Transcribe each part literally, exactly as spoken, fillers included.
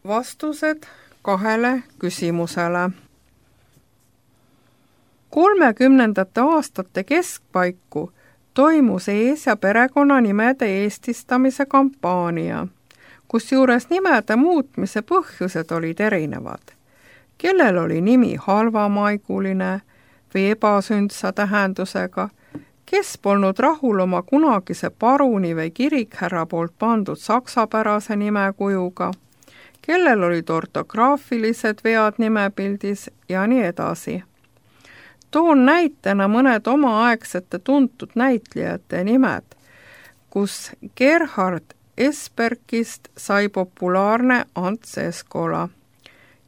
vastused kahele küsimusele. kolmekümnendate aastate keskpaiku toimus ees- ja perekonnanimede eestistamise kampaania, kusjuures nimede muutmise põhjused olid erinevad. Kellel oli nimi halvamaiguline või ebasündsa tähendusega, kes polnud rahul oma kunagise paruni või kirikhärra poolt pandud saksapärase nimekujuga, kellel olid ortograafilised vead nimepildis ja nii edasi. Toon näitena mõned omaaegsete tuntud näitlejate nimed, kus Gerhard Esperkist sai populaarne Ants Eskola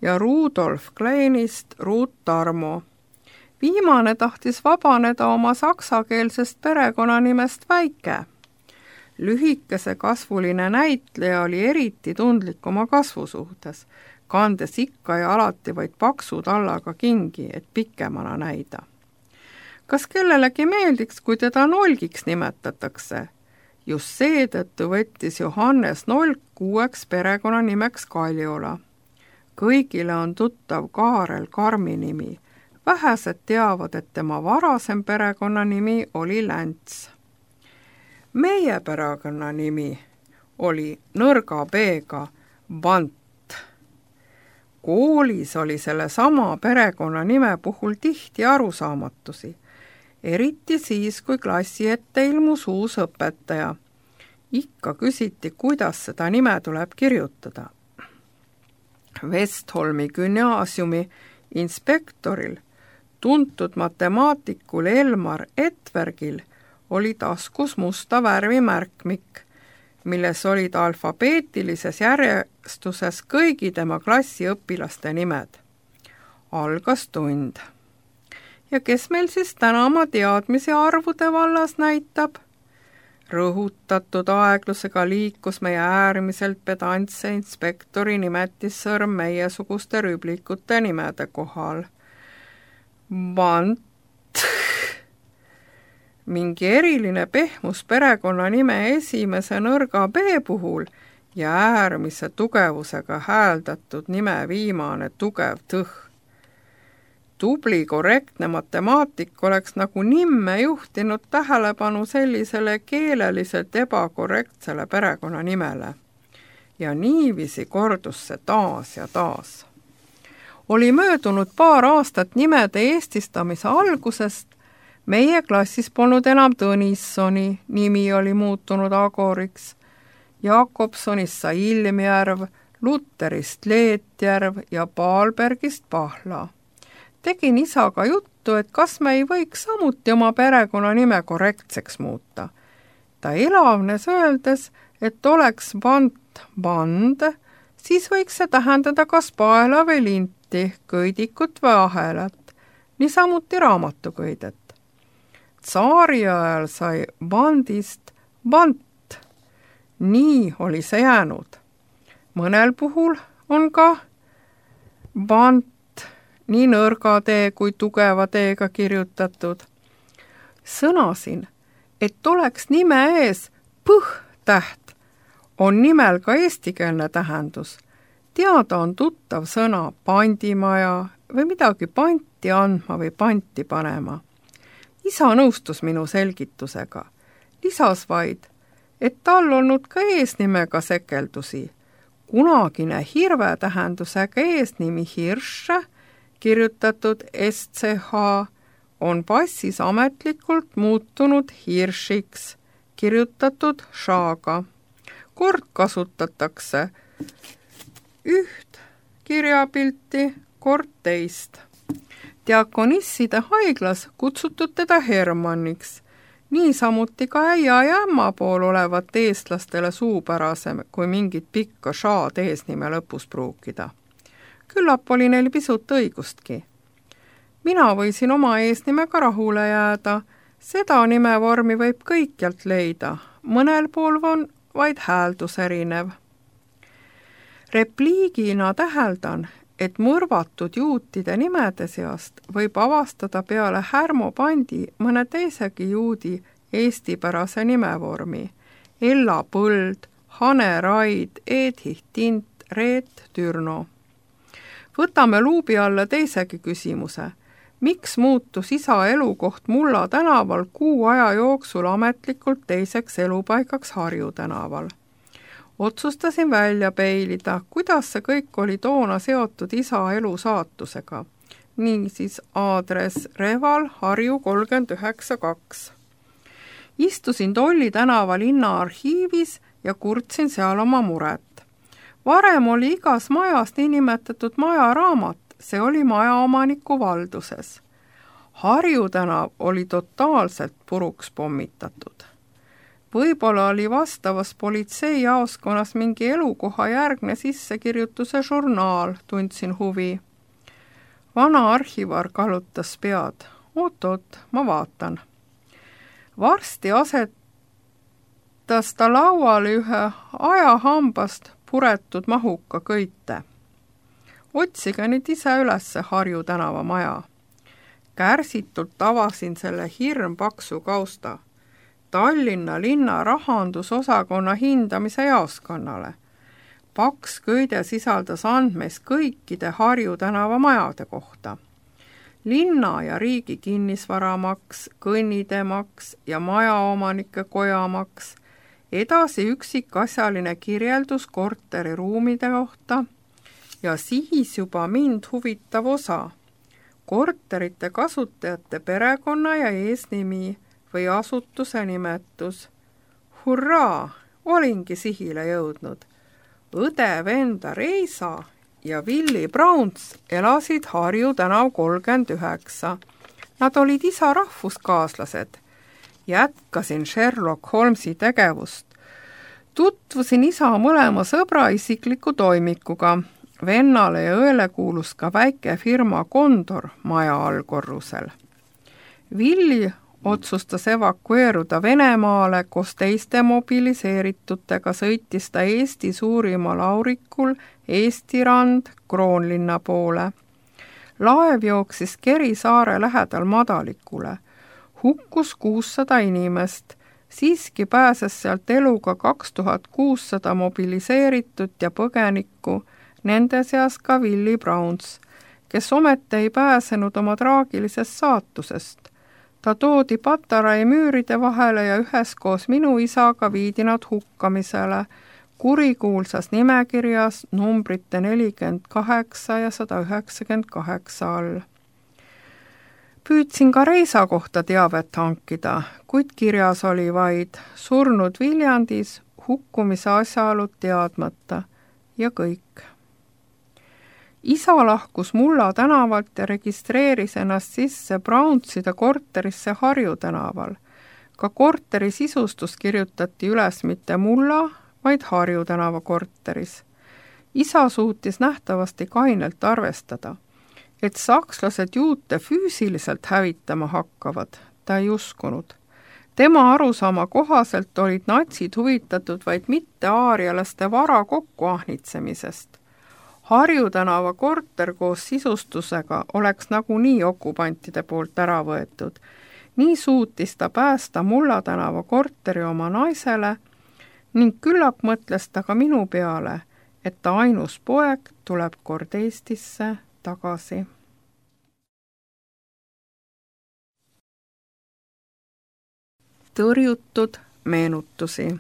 ja Rudolf Kleinist Ruut Tarmo. Viimane tahtis vabaneda oma saksakeelsest perekonnanimest Väike. Lühikese kasvuline näitleja oli eriti tundlik oma kasvu suhtes, kandes ikka ja alati vaid paksu tallaga kingi, et pikemana näida. Kas kellelegi meeldiks, kui teda Nolgiks nimetatakse? Just seetõttu võttis Johannes Nolk uueks perekonnanimeks Kaljola. Kõigile on tuttav Kaarel Karmi nimi. Vähesed teavad, et tema varasem perekonnanimi oli Länts. Meie perekonnanimi oli nõrga B-ga Vant. Koolis oli selle sama perekonnanime puhul tihti arusaamatusi, eriti siis, kui klassi ette ilmus uus õpetaja. Ikka küsiti, kuidas seda nime tuleb kirjutada. Westholmi gümnaasiumi inspektoril, tuntud matemaatikul Elmar Etvergil, oli taskus musta värvi märkmik, milles olid alfabeetilises järjestuses kõigi tema klassi õpilaste nimed. Algas tund. Ja kes meil siis täna oma teadmisi arvude vallas näitab? Rõhutatud aeglusega liikus meie äärmiselt pedantse inspektori nimetissõrm meiesuguste rüblikute nimede kohal. Vant. Mingi eriline pehmus perekonnanime esimese nõrga B puhul ja äärmise tugevusega hääldatud nime viimane tugev tõh. Tubli korrektne matemaatik oleks nagu nimme juhtinud tähelepanu sellisele keeleliselt ebakorrektsele perekonnanimele. Ja niiviisi kordus see taas ja taas. Oli möödunud paar aastat nimede eestistamise algusest. Meie klassis polnud enam Tõnissoni, nimi oli muutunud Agoriks. Jakobsonist sai Ilmjärv, Luterist Leetjärv ja Paalbergist Pahla. Tegin isaga juttu, et kas me ei võiks samuti oma perekonnanime korrektseks muuta. Ta elavnes öeldes, et oleks Vant Vand, siis võiks see tähendada kas paela või linti, köidikut või ahelat, niisamuti raamatuköidet. Tsaari ajal sai Vandist Vant. Nii oli see jäänud. Mõnel puhul on ka Vant nii nõrga tee kui tugeva teega kirjutatud. Sõnasin, et oleks nime ees põh-täht, on nimel ka eestikeelne tähendus. Teada on tuttav sõna pandimaja või midagi panti andma või panti panema. Isa nõustus minu selgitusega. Lisas vaid, et tal olnud ka eesnimega sekeldusi. Kunagine hirve tähendusega eesnimi Hirš, kirjutatud S C H, on passis ametlikult muutunud Hiršiks, kirjutatud Šaga. Kord kasutatakse üht kirjapilti, kord teist. Diakonisside haiglas kutsutud teda Hermanniks, niisamuti ka äia ja ämma pool olevat eestlastele suupärasem, kui mingit pikka šaad eesnime lõpus pruukida. Küllap oli neil pisut õigustki. Mina võisin oma eesnimega rahule jääda, seda nimevormi võib kõikjalt leida, mõnel pool on vaid hääldus erinev. Repliigina täheldan, et mõrvatud juutide nimede seast võib avastada peale Härmo Pandi mõne teisegi juudi eestipärase nimevormi. Ella Põld, Hane Raid, Edith Tint, Reet Türno. Võtame luubi alla teisegi küsimuse. Miks muutus isa elukoht Mulla tänaval kuu aja jooksul ametlikult teiseks elupaigaks Harju tänaval? Otsustasin välja peilida, kuidas see kõik oli toona seotud isa elu saatusega. Niisiis aadress Reval Harju kolmkümmend üheksa kaks. Istusin Tolli tänava linna arhiivis ja kurtsin seal oma muret. Varem oli igas majas niinimetatud majaraamat, see oli majaomaniku valduses. Harju tänav oli totaalselt puruks pommitatud. Võib-olla oli vastavas politseijaoskonnas mingi elukoha järgne sissekirjutuse žurnaal, tundsin huvi. Vana arhivar kallutas pead. Oot-oot, ma vaatan. Varsti asetas ta lauale ühe ajahambast puretud mahuka köite. Otsige nüüd ise ülesse Harju tänava maja. Kärsitult avasin selle hirmpaksu kausta. Tallinna linna rahandusosakonna hindamise jaoskonnale. Paks köide sisaldas andmeis kõikide Harju tänava majade kohta. Linna ja riigi kinnisvaramaks, kõnnidemaks ja majaomanike kojamaks, edasi üksikasjaline kirjeldus korteri ruumide kohta ja siis juba mind huvitav osa. Korterite kasutajate perekonna ja eesnimi või asutuse nimetus. Hurraa, olingi sihile jõudnud. Õde Venda Reisa ja Willy Browns elasid Harju tänav kolmkümmend üheksa. Nad olid isa rahvuskaaslased. Jätkasin Sherlock Holmesi tegevust. Tutvusin isa mõlema sõbra isikliku toimikuga. Vennale ja õele kuulus ka väike firma Kondor maja allkorrusel. Willy otsustas evakueeruda Venemaale, koos teiste mobiliseeritutega sõitis ta Eesti suurimal aurikul Eesti rand Kroonlinna poole. Laev jooksis Keri saare lähedal madalikule. Hukkus kuussada inimest, siiski pääses sealt eluga kaks tuhat kuussada mobiliseeritud ja põgenikku, nende seas ka Willy Browns, kes ometi ei pääsenud oma traagilisest saatusest. Ta toodi Patarai müüride vahele ja üheskoos minu isaga viidi nad hukkamisele, kurikuulsas nimekirjas numbrite nelikümmend kaheksa ja sada üheksakümmend kaheksa all. Püüdsin ka Reisa kohta teavet hankida, kuid kirjas oli vaid surnud Viljandis, hukkumise asjaolud teadmata ja kõik. Isa lahkus Mulla tänavalt ja registreeris ennast sisse Brownside korterisse Harju tänaval. Ka korteri sisustus kirjutati üles mitte Mulla, vaid Harju tänava korteris. Isa suutis nähtavasti kainelt arvestada, et sakslased juute füüsiliselt hävitama hakkavad, ta ei uskunud. Tema arusaama kohaselt olid natsid huvitatud vaid mitte aarialaste vara kokkuahnitsemisest. Harju tänava korter koos sisustusega oleks nagunii okupantide poolt ära võetud. Nii suutis ta päästa Mulla tänava korteri oma naisele ning küllap mõtles ta ka minu peale, et ta ainus poeg tuleb kord Eestisse tagasi. Tõrjutud meenutusi.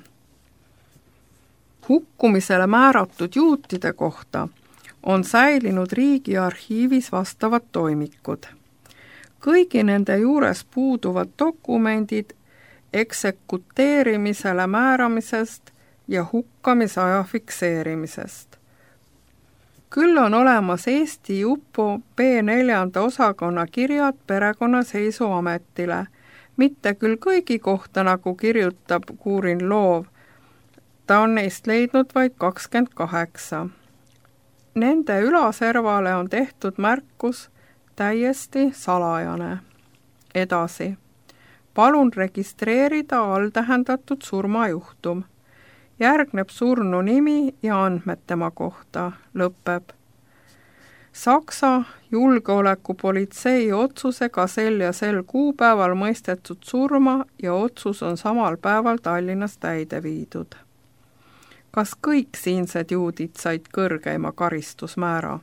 Hukkumisele määratud juutide kohta on säilinud riigi arhiivis vastavad toimikud. Kõigi nende juures puuduvad dokumendid eksekuteerimisele määramisest ja hukkamisaja fikseerimisest. Küll on olemas Eesti U P O B neljanda osakonna kirjad perekonnaseisuametile, mitte küll kõigi kohta, nagu kirjutab Kuurin Loov, ta on neist leidnud vaid kakskümmend kaheksa. Nende ülaservale on tehtud märkus täiesti salajane. Edasi. Palun registreerida alltähendatud surmajuhtum. Järgneb surnu nimi ja andmed tema kohta. Lõpeb. Saksa julgeolekupolitsei otsusega sel ja sel kuupäeval mõistetud surma ja otsus on samal päeval Tallinnas täide viidud. Kas kõik siinsed juudid said kõrgeima karistusmäära?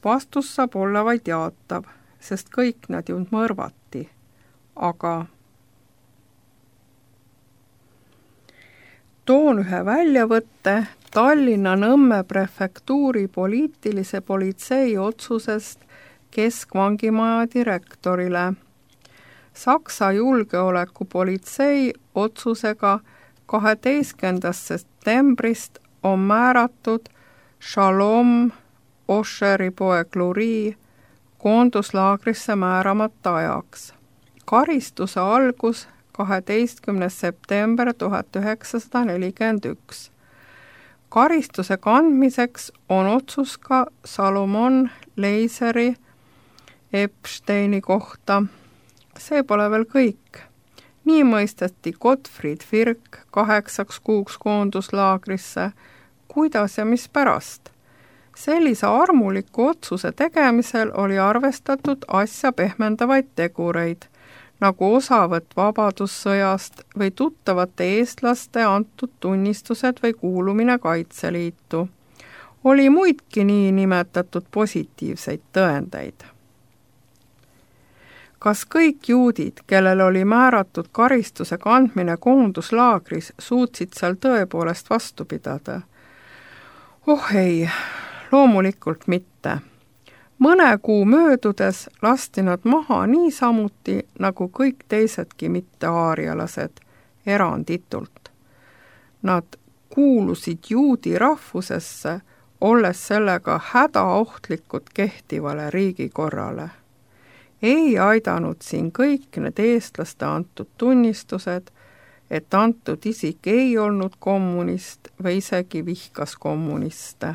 Vastus saab olla vaid jaatav, sest kõik nad ju mõrvati. Aga toon ühe väljavõtte Tallinna Nõmme prefektuuri poliitilise politsei otsusest keskvangimaja direktorile. Saksa julgeolekupolitsei otsusega kaheteistkümnendast septembrist on määratud Shalom Osheri poeg Luri koonduslaagrisse määramata ajaks. Karistuse algus kaheteistkümnes september tuhat üheksasada nelikümmend üks. Karistuse kandmiseks on otsus ka Salomon Leiseri Epsteini kohta. See pole veel kõik. Nii mõisteti Gottfried Firk kaheksaks kuuks koonduslaagrisse. Kuidas ja mis pärast? Sellise armuliku otsuse tegemisel oli arvestatud asja pehmendavaid tegureid, nagu osavõtt vabadussõjast või tuttavate eestlaste antud tunnistused või kuulumine Kaitseliitu. Oli muidki nii nimetatud positiivseid tõendeid. Kas kõik juudid, kellel oli määratud karistuse kandmine koonduslaagris, suutsid seal tõepoolest vastu pidada? Oh ei, loomulikult mitte. Mõne kuu möödudes lasti nad maha niisamuti nagu kõik teisedki mitte-aarialased, eranditult. Nad kuulusid juudi rahvusesse, olles sellega hädaohtlikud kehtivale riigikorrale. Ei aidanud siin kõik need eestlaste antud tunnistused, et antud isik ei olnud kommunist või isegi vihkas kommuniste.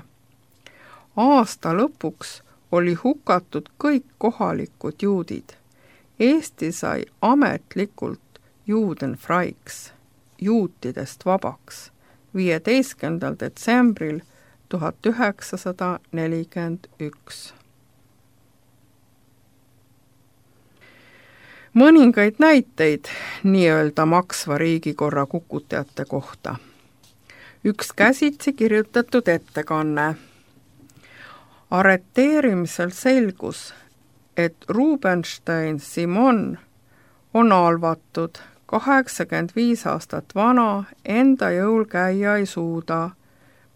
Aasta lõpuks oli hukatud kõik kohalikud juudid. Eesti sai ametlikult Judenfreiks, juutidest vabaks, viieteistkümnendal detsembril tuhat üheksasada nelikümmend üks. Mõningaid näiteid nii-öelda maksva riigikorra kukutajate kohta. Üks käsitsi kirjutatud ettekanne. Arreteerimisel selgus, et Rubenstein Simon on alvatud, kaheksakümmend viis aastat vana, enda jõul käia ei suuda,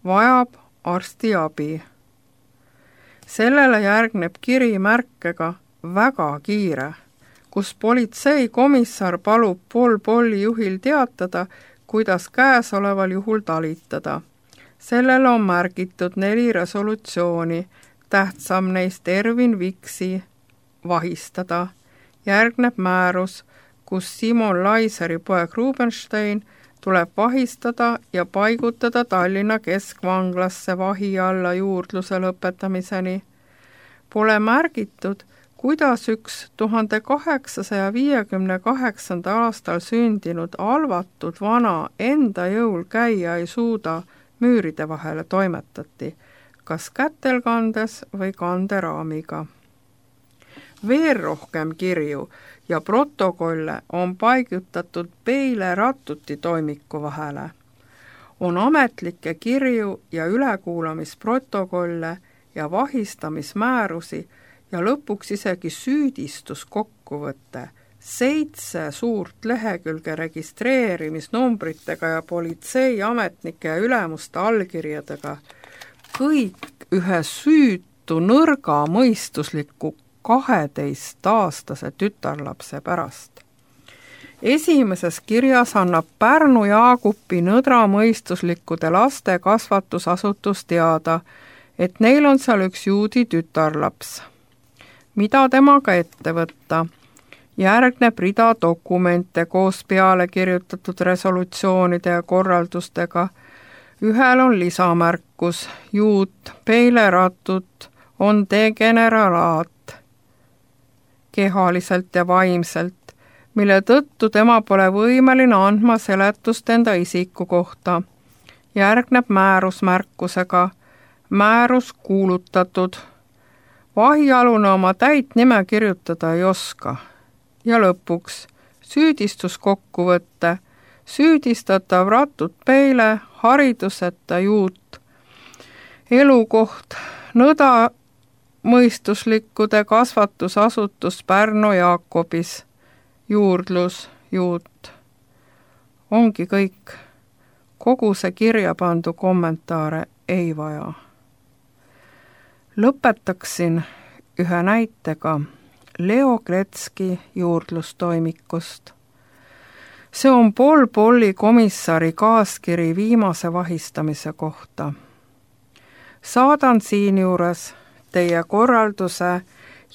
vajab arstiabi. Sellele järgneb kiri märkega väga kiire, kus politseikomissar palub Pol Polli juhil teatada, kuidas käesoleval juhul talitada. Sellele on märgitud neli resolutsiooni, tähtsam neist Ervin Viksi vahistada. Järgneb määrus, kus Simon Laiseri poeg Rubenstein tuleb vahistada ja paigutada Tallinna keskvanglasse vahi alla juurdluse lõpetamiseni. Pole märgitud, kuidas üks tuhande kaheksasaja viiekümne kaheksandal aastal sündinud alvatud vana enda jõul käia ei suuda müüride vahele toimetati, kas kätel kandes või kanderaamiga. Veel rohkem kirju ja protokolle on paigutatud Peile Rattuti toimiku vahele. On ametlikke kirju ja ülekuulamisprotokolle ja vahistamismäärusi ja lõpuks isegi süüdistuskokkuvõte, seitse suurt lehekülge registreerimisnumbritega ja politseiametnike ja ülemuste allkirjadega, kõik ühe süütu nõrga mõistusliku kaheteistaastase tütarlapse pärast. Esimeses kirjas annab Pärnu Jaagupi nõdramõistuslikkude laste kasvatusasutus teada, et neil on seal üks juudi tütarlaps. Mida temaga ette võtta? Järgneb rida dokumente koos peale kirjutatud resolutsioonide ja korraldustega. Ühel on lisamärkus, juut, Peile Rattut on degeneralaat kehaliselt ja vaimselt, mille tõttu tema pole võimeline andma seletust enda isiku kohta. Järgneb määrus märkusega, määrus kuulutatud. Vahialune oma täit nime kirjutada ei oska. Ja lõpuks süüdistuskokkuvõtte. süüdistatav Ratut Peile, hariduseta juut, elukoht nõda mõistuslikkude kasvatusasutus Pärnu Jaakobis, juurdlus, juut. Ongi kõik. Kogu see kirja pandu kommentaare ei vaja. Lõpetaksin ühe näitega Leo Kletski juurdlustoimikust. See on Pol Polli komissari kaaskiri viimase vahistamise kohta. Saadan siinjuures teie korralduse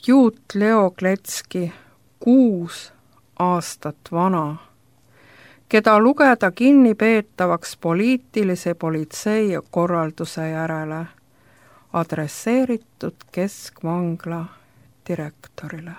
juut Leo Kletski kuus aastat vana, keda lugeda kinnipeetavaks poliitilise politsei korralduse järele, adresseeritud keskvangla direktorile.